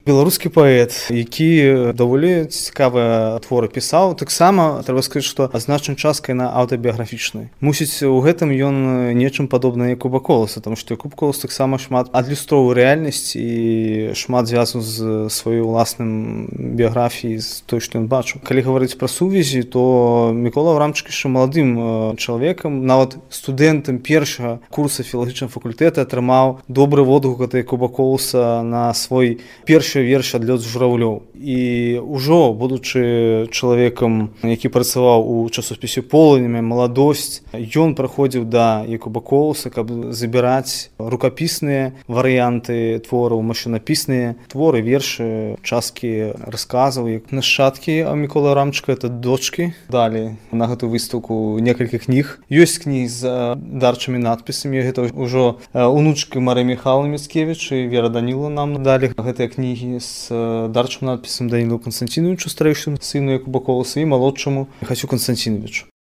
Беларускі паэт, які даволі цікавыя творы пісаў, таксама трэба сказаць, што значнай часткай на аўтабіяграфічнай. Мусіць, у гэтым ён нечым падобны як Куба Коласа, таму што Куб Колас таксама шмат адлюстроўваў рэальнасць і шмат звязаў з сваёй уласным біяграфіяй, з той, што ён бачыў. Калі гаварыць пра сувязі, то Мікола Аврамчык яшчэ маладым чалавекам, нават студэнтам першага курса філалагічнага факультэта атрымаў добры водгук ад Куба Коласа на свой першы верш «Адлёт з журавлёў». І ўжо, будучы чалавекам, які працаваў у часопісе «Полымя», «Маладосць», ён праходзіў да Якуба Коласа, каб забіраць рукапісныя варыянты твораў, машынапісныя творы, вершы, часткі расказаў, як нашчадкі Міколы Аврамчыка, это дочкі. Далі на гэтую выстаўку некалькі кніг. Ёсць кнігі з дарчымі надпісамі, гэта ўжо унучкі Марыі Міхайлаўны Міцкевіч і Вера Данілаўна нам далі гэтыя кнігі з дарчым надпісам Данілу Константиновичу, старэйшаму сыну Якуба Коласа, і малодшаму Міхасю Константиновичу.